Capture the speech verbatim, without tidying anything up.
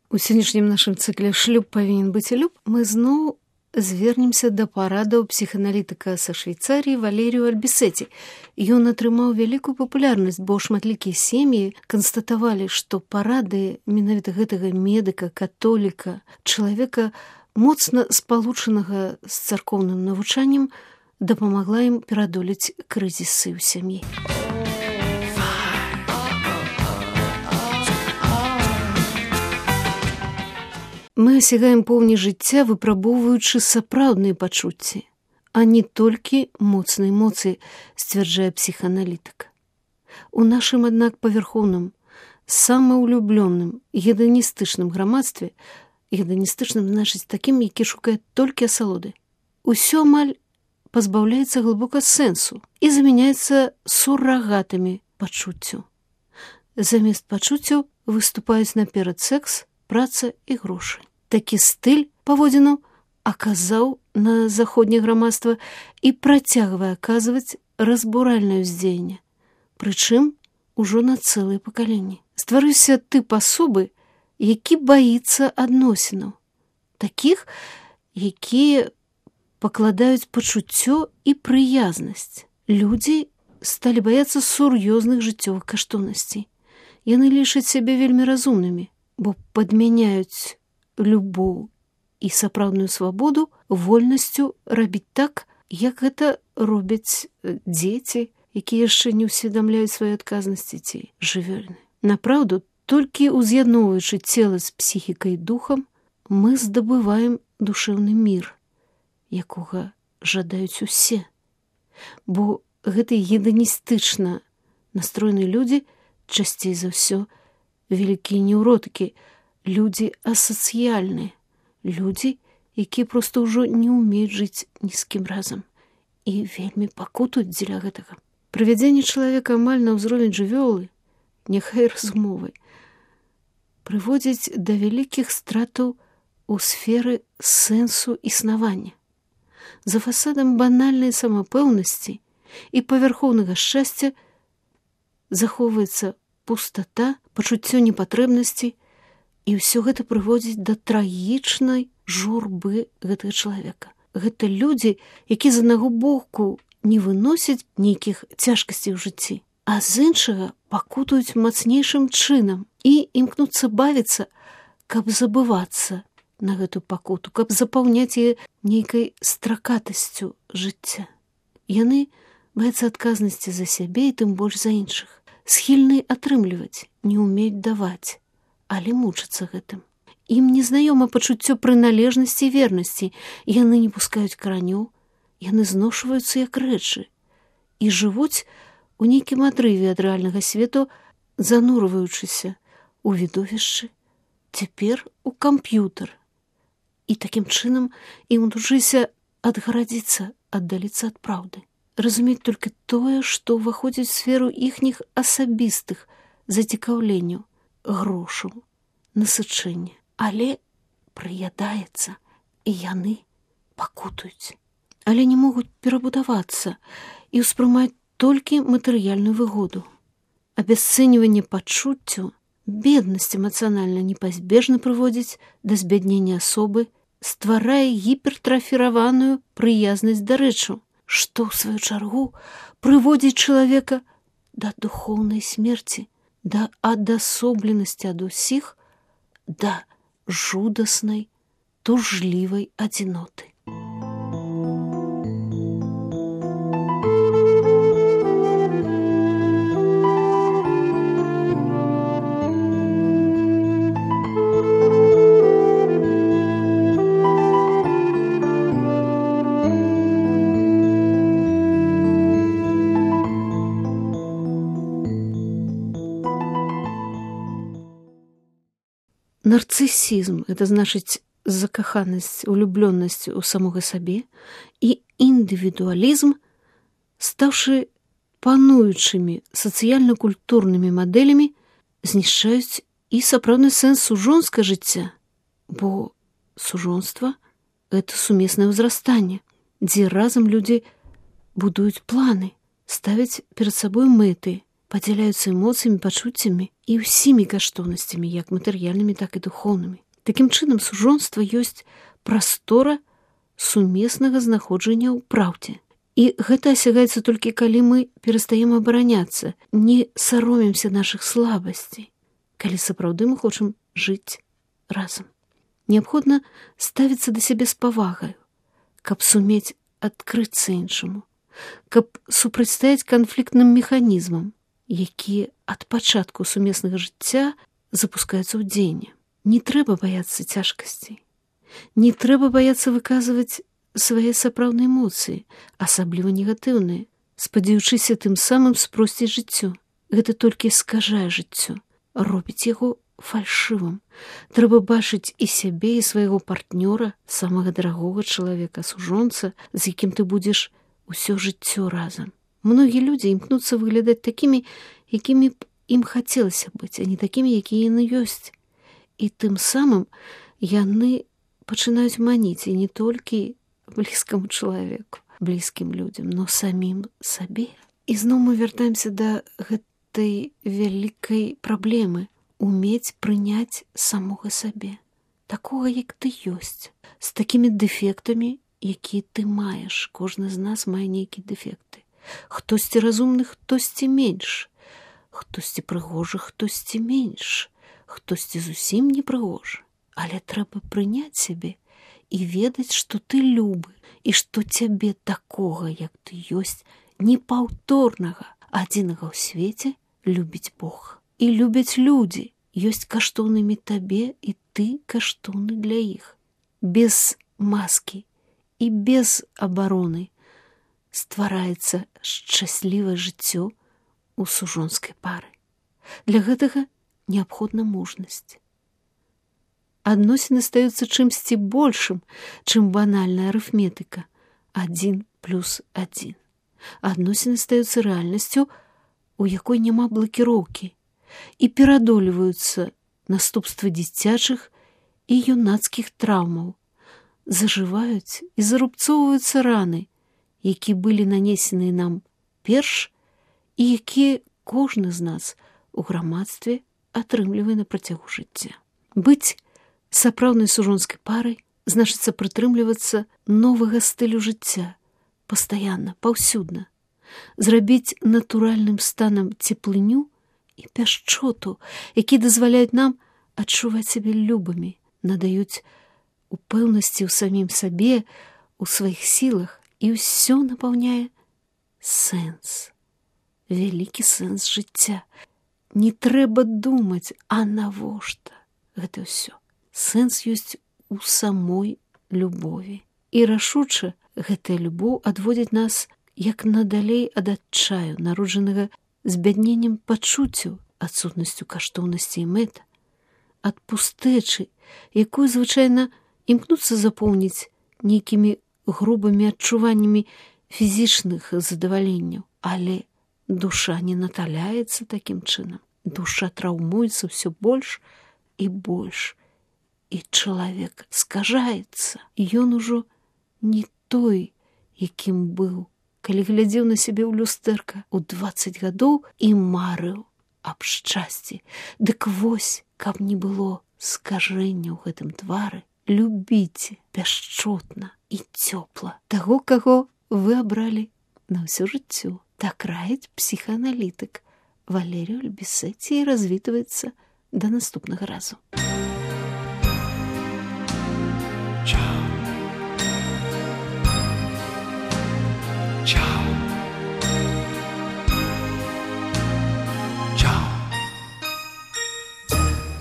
У сённяшнім нашым цыкле «Шлюб павінен быць і люб» мы зноў звернемся да парадаў псіхааналітыка са Швейцарыі Валерію Альбісеці. Ён атрымаў вялікую папулярнасць, бо шматлікія сем'і канстатавалі, што парады менавіта гэтага медыка, католіка, чалавека моцна спалучанага з царкоўным навучаннем дапамагла ім перадолець крызісы ў сям'і. Мы асягаем поўні жыцця, выпрабоўваючы сапраўдныя пачуцці, а не толькі моцныя эмоцыі, сцвярджае псіхааналітык. У нашым, аднак, павярхоўным, самаўлюблёным, геданістычным грамадстве, геданістычным значыць такім, які шукае толькі асалоды, усё амаль пазбаўляецца глыбока сэнсу і замяняецца сурагатамі пачуццяў. Замест пачуццяў выступаюць наперад секс, праца і грошы. Такі стыль паводзінаў аказаў на заходняе грамадства і працягвае аказваць разбуральнае ўздзеянне, прычым ужо на цэлыя пакаленні. Стварыўся тып асобы, які баіцца адносінаў, такіх, якія пакладаюць пачуццё і прыязнасць. Людзі сталі баяцца сур'ёзных жыццёвых каштоўнасцей. Яны лічаць сябе вельмі разумнымі, бо падмяняюць любоў і сапраўдную свабоду вольнасцю рабіць так, як гэта робяць дзеці, якія яшчэ не ўсведамляюць свае адказнасці ці жывёльны. Напраўду, толькі уз'ядноўваючы цела з псіхікай і духам, мы здабываем душэўны мір, якога жадаюць усе. Бо гэтыя геданістычна настроеныя людзі часцей за ўсё вялікія неўротыкі, людзі асацыяльныя, людзі, якія проста ўжо не ўмеюць жыць ні з кім разам і вельмі пакутуюць дзеля гэтага. Прывядзенне чалавека амаль на ўзровень жывёлы, няхай разумовай, прыводзіць да вялікіх стратаў у сферы сэнсу існавання. За фасадам банальнай самапэўнасці і павярхоўнага шчасця захоўваецца пустата, пачуццё непатрэбнасці, і ўсё гэта прыводзіць да трагічнай журбы гэтага чалавека. Гэта людзі, якія з аднаго боку не выносяць нейкіх цяжкасцей у жыцці, а з іншага пакутуюць мацнейшым чынам і імкнуцца бавіцца, каб забывацца на гэту пакуту, каб запаўняць яе нейкай стракатасцю жыцця. Яны баяцца адказнасці за сябе і тым больш за іншых. Схільны атрымліваць, не ўмеюць даваць, але мучацца гэтым. Ім незнаёма пачуццё прыналежнасці і вернасці, яны не пускаюць каранёў, яны зношваюцца як рэчы і жывуць у нейкім адрыве ад рэальнага свету, занурваючыся ў відовішчы, цяпер у камп'ютар. І такім чынам ім удужыся адгарадзіцца, аддаліцца ад праўды. Разумець толькі тое, што ўваходзіць у сферу іхніх асабістых зацікаўленняў, грошаў, насычэння. Але прыядаецца, і яны пакутуюць. Але не могуць перабудавацца і ўспрымаць толькі матэрыяльную выгоду. Абясцэньванне пачуццяў, беднасць эмацыянальна непазбежна прыводзіць да збяднення асобы, стварае гіпертрафіраваную прыязнасць да рэчаў, што, ў сваю чаргу, прыводзіць чалавека да духоўнай смерці, да адасобленасці ад усіх, да жудаснай, тужлівай адзіноты. Нарцысізм – это значыць закаханасць, улюблёнасць у самога сабе, і індывідуалізм, стаўшы пануючымі сацыяльна-культурнымі мадэлямі, знішчаюць і сапраўдны сэнс сужонскага жыцця, бо сужонства – это сумеснае ўзрастанне, дзе разам людзі будуюць планы, ставяць перад сабой мэты падзяляюцца эмоцыямі, пачуццямі і ўсімі каштоўнасцямі, як матэрыяльнымі, так і духоўнымі. Такім чынам, сужонства ёсць прастора сумеснага знаходжання ў праўдзе. І гэта асягаецца толькі калі мы перастаем абараняцца, не саромемся нашых слабасцей, калі сапраўды мы хочам жыць разам. Неабходна ставіцца да сябе з павагаю, каб сумець адкрыцца іншаму, каб супрацьстаяць канфліктным механізмам, якія ад пачатку сумеснага жыцця запускаюцца ў дзеянне. Не трэба баяцца цяжкасцей, не трэба баяцца выказваць свае сапраўдныя эмоцыі, асабліва негатыўныя, спадзяючыся тым самым спросціць жыццё. Гэта толькі скажае жыццё, робіць яго фальшывым. Трэба бачыць і сябе, і свайго партнёра, самага дарагога чалавека, сужонца, з якім ты будзеш усё жыццё разам. Многія людзі імкнуцца выглядаць такімі, якімі б ім хацелася быць, а не такімі, якія яны ёсць. І тым самым яны пачынаюць маніць і не толькі блізкаму чалавеку, блізкім людзям, но самім сабе. І зноў мы вяртаемся да гэтай вялікай праблемы — умець прыняць самога сабе, такога, як ты ёсць, з такімі дэфектамі, якія ты маеш. Кожны з нас мае нейкія дэфекты. Хтосьці разумны, хтосьці менш, хтосьці прыгожы, хтосьці менш, хтосьці зусім не прыгожы. Але трэба прыняць сябе і ведаць, што ты любы, і што цябе такога, як ты ёсць, непаўторнага, адзінага ў свеце любіць Бог. І любяць людзі, ёсць каштоўнымі табе, і ты каштоўны для іх. Без маскі і без абароны ствараецца шчаслівае жыццё у сужонскай пары. Для гэтага неабходна мужнасць. Адносіны стаюцца чымсьці большым, чым банальная арыфметыка. Адзін плюс адзін. Адносіны стаюцца рэальнасцю, у якой няма блакіроўкі, і перадолеваюцца наступствы дзіцячых і юнацкіх траўмаў. Зажываюць і зарубцоўваюцца раны, якія былі нанесеныя нам перш і якія кожны з нас у грамадстве атрымлівае на працягу жыцця. Быць сапраўднай сужонскай парай значыцца прытрымлівацца новага стылю жыцця, пастаянна, паўсюдна, зрабіць натуральным станам цеплыню і пяшчоту, якія дазваляюць нам адчуваць сябе любымі, надаюць упэўнасці ў самім сабе, у сваіх сілах, і ўсё напаўняе сэнс, вялікі сэнс жыцця. Не трэба думаць, а навошта гэта ўсё. Сэнс ёсць у самой любові. І рашуча гэтая любоў адводзіць нас як надалей ад адчаю, народжанага збядненнем пачуццяў, адсутнасцю каштоўнасці і мэт, ад пустэчы, якую звычайна імкнуцца запоўніць нейкімі грубымі адчуваннямі фізічных задаваленняў. Але душа не наталяецца такім чынам. Душа траўмуецца ўсё больш і больш. І чалавек скажаецца. Ён ужо не той, якім быў, калі глядзеў на сябе ў люстэрка ў дваццаць гадоў і марыў аб шчасці. Дык вось, каб не было скажэння ў гэтым твары, любіце пяшчотна і цёпла таго, каго вы абралі на ўсё жыццё. Так раіць псіхааналітык Валерій Альбісеці і развітваецца да наступнага разу.